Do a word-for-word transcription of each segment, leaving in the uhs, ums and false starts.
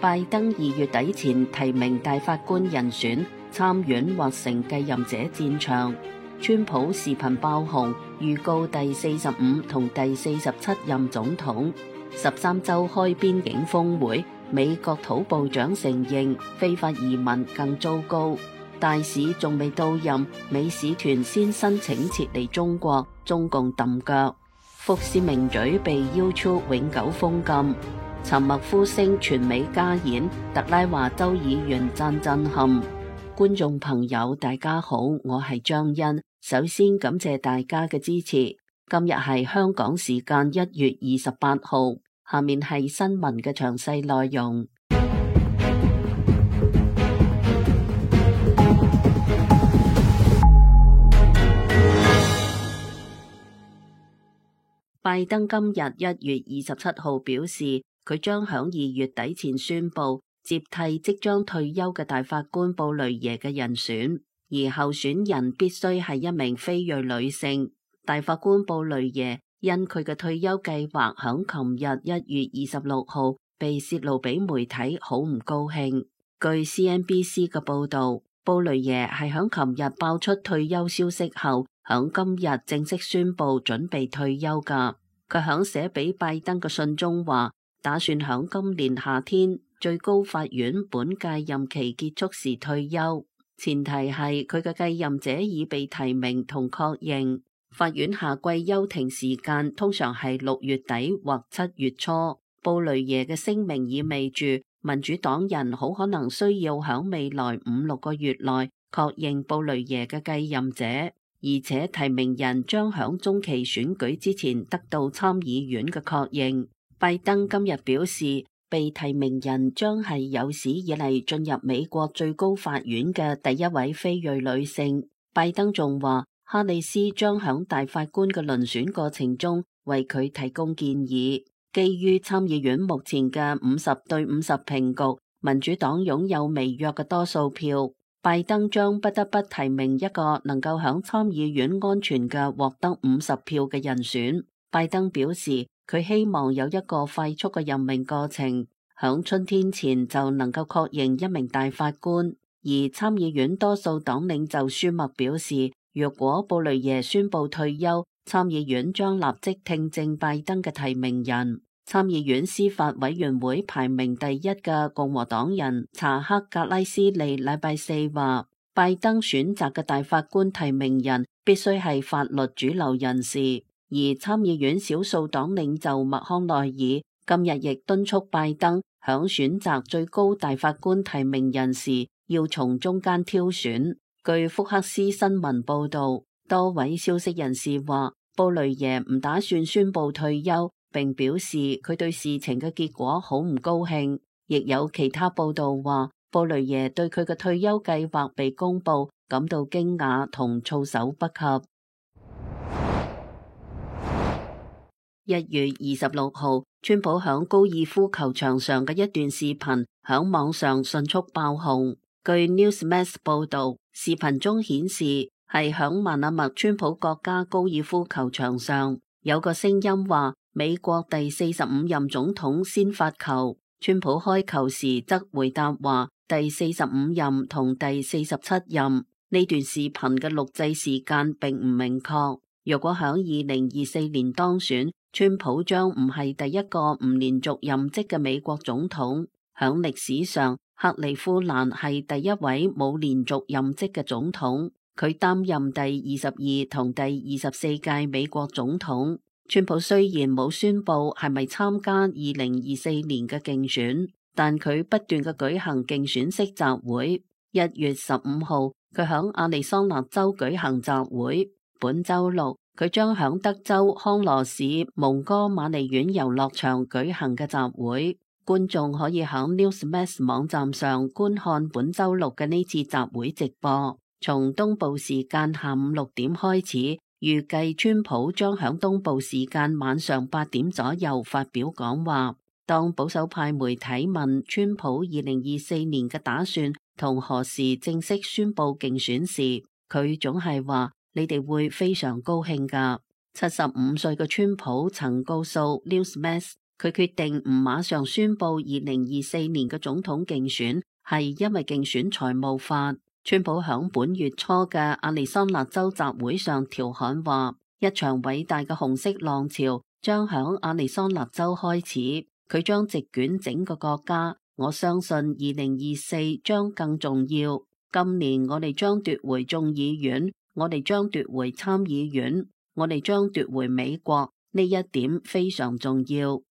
拜登二月底前提名大法官人選，參院或成繼任者戰場。川普視頻爆紅，預告第四十五同第四十七任總統。十三州開邊境峰會，美國土部長承認非法移民更糟糕。大使仲未到任，美使團先申請撤離中國，中共揼腳。福斯名嘴被 YouTube 永久封禁。沉默呼聲全美加演，特拉華州議員讚震撼。觀眾朋友大家好，我係張欣，首先感謝大家嘅支持。今日係香港時間一月二十八號，下面係新聞嘅詳細內容。拜登今日一月二十七號表示，佢將響二月底前宣布接替即將退休嘅大法官布雷耶嘅人選，而候選人必須係一名非裔女性。大法官布雷耶因佢嘅退休計劃響琴日一月二十六號被泄露俾媒體，好唔高興。據 C N B C 嘅報道，布雷耶係響琴日爆出退休消息後，響今日正式宣布準備退休噶。佢響寫俾拜登嘅信中話，打算響今年夏天最高法院本屆任期結束時退休，前提係佢嘅繼任者已被提名同確認。法院夏季休庭時間通常係六月底或七月初。布雷耶嘅聲明意味住民主黨人好可能需要響未來五六個月內確認布雷耶嘅繼任者，而且提名人將響中期選舉之前得到參議院嘅確認。拜登今日表示，被提名人將係有史以嚟進入美國最高法院嘅第一位非裔女性。拜登仲話，哈里斯將響大法官嘅遴選過程中為佢提供建議。基於參議院目前嘅五十對五十平局，民主黨擁有微弱嘅多數票，拜登將不得不提名一個能夠響參議院安全嘅獲得五十票嘅人選。拜登表示，佢希望有一個快速嘅任命過程，響春天前就能夠確認一名大法官。而參議院多數黨領袖舒默表示，若果布雷耶宣布退休，參議院將立即聽證拜登嘅提名人。參議院司法委員會排名第一嘅共和黨人查克格拉斯利禮拜四話，拜登選擇嘅大法官提名人必須係法律主流人士。而參議院少數黨領袖麥康奈爾今日亦敦促拜登響選擇最高大法官提名人時要從中間挑選。據福克斯新聞報道，多位消息人士話，布雷耶唔打算宣布退休，並表示佢對事情嘅結果好唔高興。亦有其他報道話，布雷耶對佢嘅退休計劃被公布感到驚訝同措手不及。一月二十六號，川普響高爾夫球場上嘅一段視頻響網上迅速爆紅。據 Newsmax 報道，視頻中顯示係響曼阿默川普國家高爾夫球場上，有個聲音話美國第四十五任總統先發球，川普開球時則回答話第四十五任同第四十七任。呢段視頻嘅錄製時間並唔明確。若果響二零二四年當選，川普將唔係第一個唔連續任職嘅美國總統。響歷史上，克里夫蘭係第一位冇連續任職嘅總統，佢擔任第二十二同第二十四屆美國總統。川普雖然冇宣布係咪參加二零二四年嘅競選，但佢不斷嘅舉行競選式集會。一月十五號，佢響亞利桑那州舉行集會。本周六，佢將響德州康羅市蒙哥馬利園遊樂場舉行嘅集會。觀眾可以響 Newsmax 網站上觀看本周六嘅呢次集會直播，從東部時間下午六點開始，預計川普將響東部時間晚上八點左右發表講話。當保守派媒體問川普二零二四年嘅打算同何時正式宣布競選時，佢總係話，你哋會非常高興㗎。七十五歲嘅川普曾告訴 Newsmax，佢決定唔馬上宣布二零二四年嘅總統競選，係因為競選財務法。川普響本月初嘅亞利桑那州集會上調侃話，一場偉大嘅紅色浪潮將響亞利桑那州開始，佢將席捲整個國家。我相信二零二四將更重要。今年我哋將奪回眾議院，我哋將奪回參議院，我哋將奪回美國，呢一點非常重要。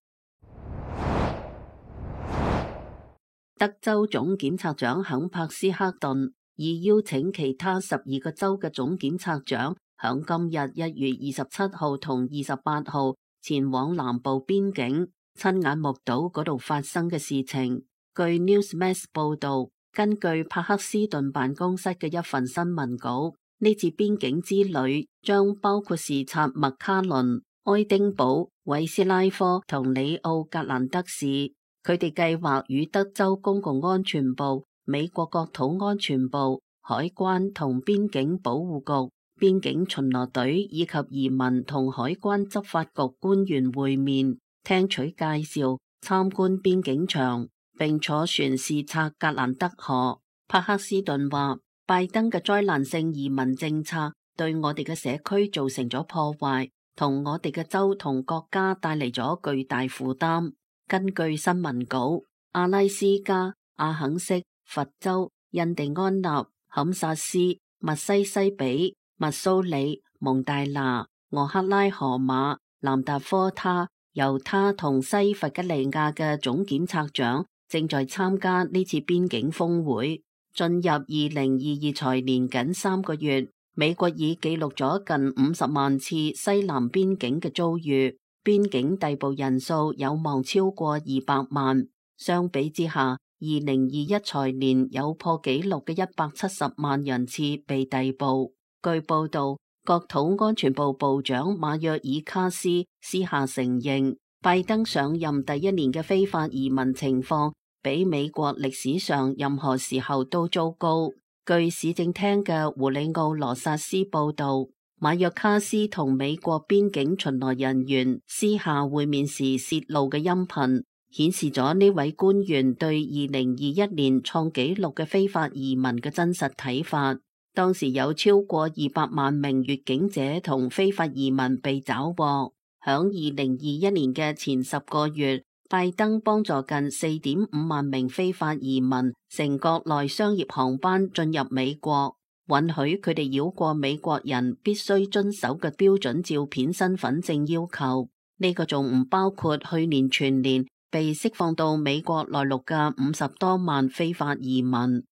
德州總檢察長肯柏斯克頓已邀請其他十二個州嘅總檢察長響今日一月二十七號同二十八號前往南部邊境，親眼目睹嗰度發生嘅事情。據 Newsmax 報道，根據帕克斯頓辦公室嘅一份新聞稿，呢次邊境之旅將包括視察麥卡倫、愛丁堡、韋斯拉科同里奧格蘭德市。佢哋計劃與德州公共安全部、美國國土安全部、海關同邊境保護局、邊境巡邏隊以及移民同海關執法局官員會面，聽取介紹，參觀邊境牆，並坐船視察格蘭德河。帕克斯頓話，拜登嘅災難性移民政策對我哋嘅社區造成咗破壞，同我哋嘅州同國家帶嚟咗巨大負擔。根據新聞稿，阿拉斯加、阿肯色、佛州、印第安納、堪薩斯、密西西比、密蘇里、蒙大拿、俄克拉荷馬、南達科他、猶他同西弗吉尼亞嘅總檢察長正在參加呢次邊境峰會。進入二零二二財年僅三個月，美國已記錄咗近五十萬次西南邊境嘅遭遇。邊境逮捕人數有望超過二百萬，相比之下，二零二一財年有破紀錄嘅一百七十萬人次被逮捕。據報道，國土安全部部長馬約爾卡斯私下承認，拜登上任第一年嘅非法移民情況比美國歷史上任何時候都糟糕。據市政廳嘅胡里奧羅薩斯報道，馬約卡斯同美國邊境巡邏人員私下會面時洩露嘅音頻，顯示咗呢位官員對二零二一年創紀錄嘅非法移民嘅真實睇法。當時有超過二百萬名越境者同非法移民被抓獲。響二零二一年嘅前十個月，拜登幫助近四點五萬名非法移民乘國內商業航班進入美國，允許佢哋繞過美國人必須遵守嘅標準照片身份證要求。呢個仲唔包括去年全年被釋放到美國內陸嘅五十多萬非法移民。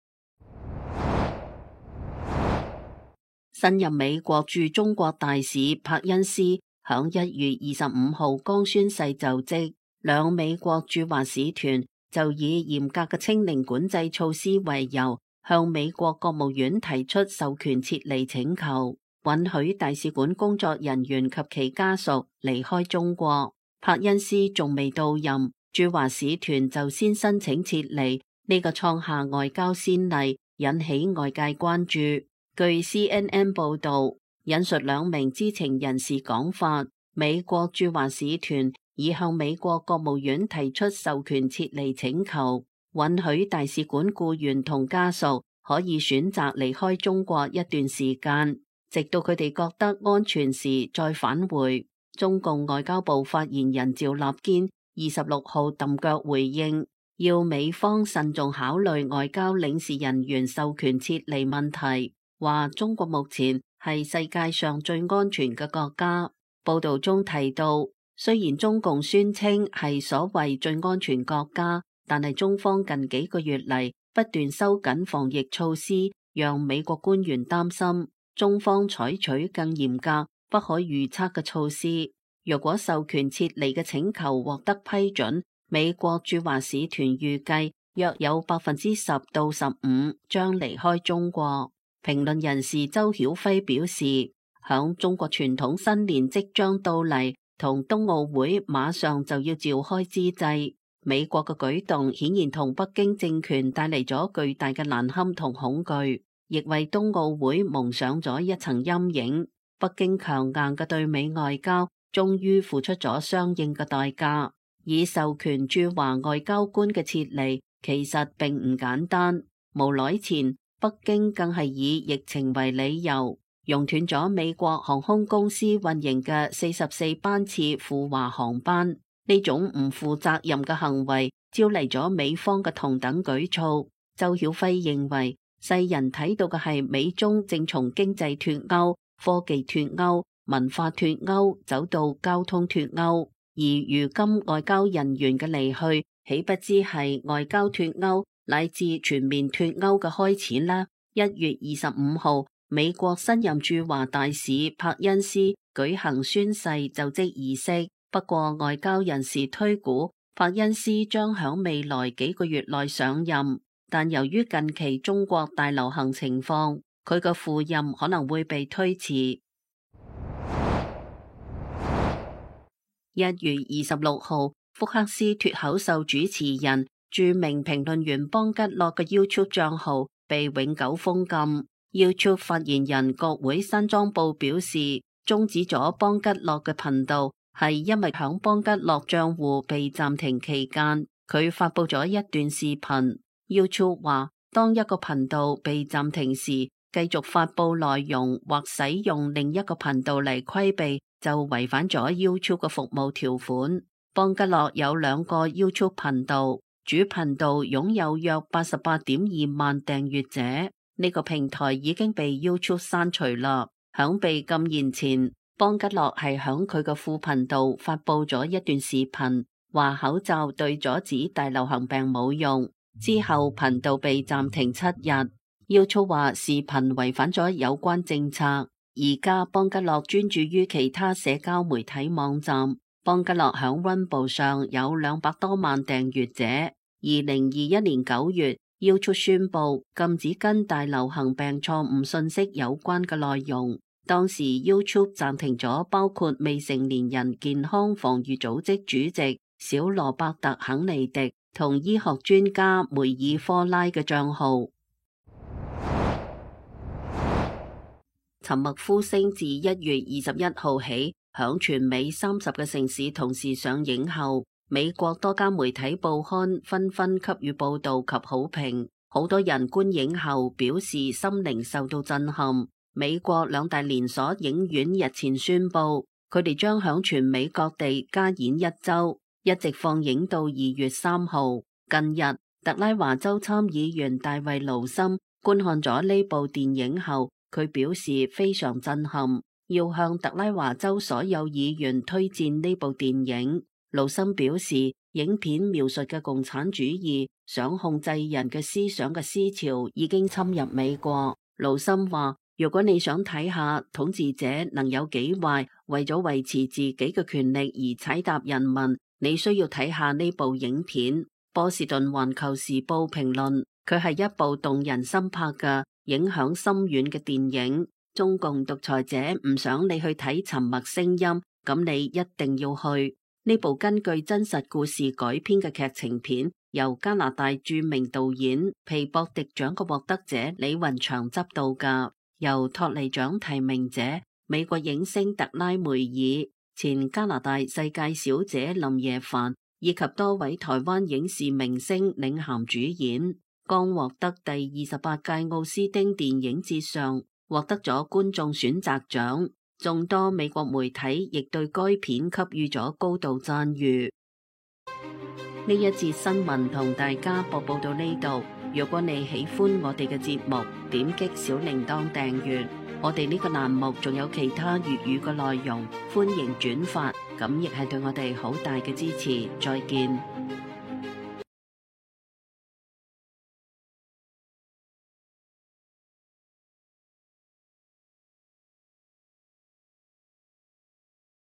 新任美國駐中國大使柏恩斯響一月二十五號剛宣誓就職，兩美國駐華使團就以嚴格嘅清零管制措施為由，向美國國務院提出授權撤離請求，允許大使館工作人員及其家屬離開中國。柏恩斯仲未到任，駐華使團就先申請撤離，呢個創下外交先例，引起外界關注。據 C N N 報道，引述兩名知情人士講法，美國駐華使團已向美國國務院提出授權撤離請求，允許大使館僱員同家屬可以選擇離開中國一段時間，直到佢哋覺得安全時再返回。中共外交部發言人趙立堅二十六號揼腳回應，要美方慎重考慮外交領事人員授權撤離問題，話中國目前係世界上最安全嘅國家。報道中提到，雖然中共宣稱係所謂最安全國家，但係中方近幾個月嚟不斷收緊防疫措施，讓美國官員擔心中方採取更嚴格、不可預測嘅措施。若果授權撤離嘅請求獲得批准，美國駐華使團預計約有百分之十到十五將離開中國。評論人士周曉輝表示，響中國傳統新年即將到嚟，同冬奧會馬上就要召開之際，美國嘅舉動顯然同北京政權帶嚟咗巨大嘅難堪同恐懼，亦為冬奧會蒙上咗一層陰影。北京強硬嘅對美外交終於付出咗相應嘅代價。以授權駐華外交官嘅撤離其實並唔簡單。無耐前，北京更係以疫情為理由，熔斷咗美國航空公司運營嘅四十四班次赴華航班。呢種唔負責任嘅行為招嚟咗美方嘅同等舉措。周曉輝認為，世人睇到嘅係美中正從經濟脫鈎、科技脫鈎、文化脫鈎走到交通脫鈎，而如今外交人員嘅離去，豈不知係外交脫鈎乃至全面脫鈎嘅開始呢？一月二十五號，美國新任駐華大使柏恩斯舉行宣誓就職儀式。不過外交人士推估，柏恩斯將響未來幾個月內上任，但由於近期中國大流行情況，佢嘅赴任可能會被推遲。一月二十六號，福克斯脫口秀主持人、著名評論員邦吉洛嘅 YouTube 賬號被永久封禁。YouTube 發言人國會山莊部表示，終止咗邦吉洛嘅頻道係因為響邦吉洛賬戶被暫停期間，佢發佈咗一段視頻。YouTube 話，當一個頻道被暫停時，繼續發佈內容或使用另一個頻道嚟規避，就違反咗 YouTube 嘅服務條款。邦吉洛有兩個 YouTube 頻道，主頻道擁有約八十八點二萬訂閱者，呢、這個平台已經被 YouTube 刪除啦。響被禁言前，邦吉洛係響佢嘅副頻道發佈咗一段視頻，話口罩對阻止大流行病冇用。之後頻道被暫停七日。YouTube 話視頻違反咗有關政策。而家邦吉洛專注於其他社交媒體網站。邦吉洛響溫部上有兩百多萬訂閱者。二零二一年九月，YouTube 宣布禁止跟大流行病錯誤信息有關嘅內容。當時 YouTube 暫停咗包括未成年人健康防禦組織主席小羅伯特肯尼迪同醫學專家梅爾科拉嘅賬號。沉默呼聲自一月二十一號起，響全美三十個城市同時上映後，美國多家媒體報刊紛紛給予報道及好評。好多人觀影後表示心靈受到震撼。美國兩大連鎖影院日前宣布，佢哋將響全美各地加演一周，一直放映到二月三號。近日，特拉華州參議員大衛盧森觀看咗呢部電影後，佢表示非常震撼，要向特拉華州所有議員推薦呢部電影。盧森表示，影片描述嘅共產主義想控制人嘅思想嘅思潮已經侵入美國。盧森話，如果你想睇下統治者能有幾壞，為咗維持自己嘅權力而踩踏人民，你需要睇下呢部影片。波士頓環球時報評論，佢係一部動人心魄嘅影響深遠嘅電影。中共獨裁者唔想你去睇沉默聲音，咁你一定要去。呢部根據真實故事改編嘅劇情片，由加拿大著名導演皮博迪獎嘅獲得者李雲祥執導嘅，由托尼獎提名者美國影星特拉梅爾、前加拿大世界小姐林耶凡以及多位台灣影視明星領銜主演。剛獲得第二十八屆奧斯汀電影節上獲得咗觀眾選擇獎，眾多美國媒體亦對該片給予咗高度讚譽。呢一節新聞同大家播報到呢度。如果你喜歡我哋嘅節目，點擊小鈴鐺訂閱。我哋呢個欄目仲有其他粵語嘅內容，歡迎轉發，咁亦係對我哋好大嘅支持。再見。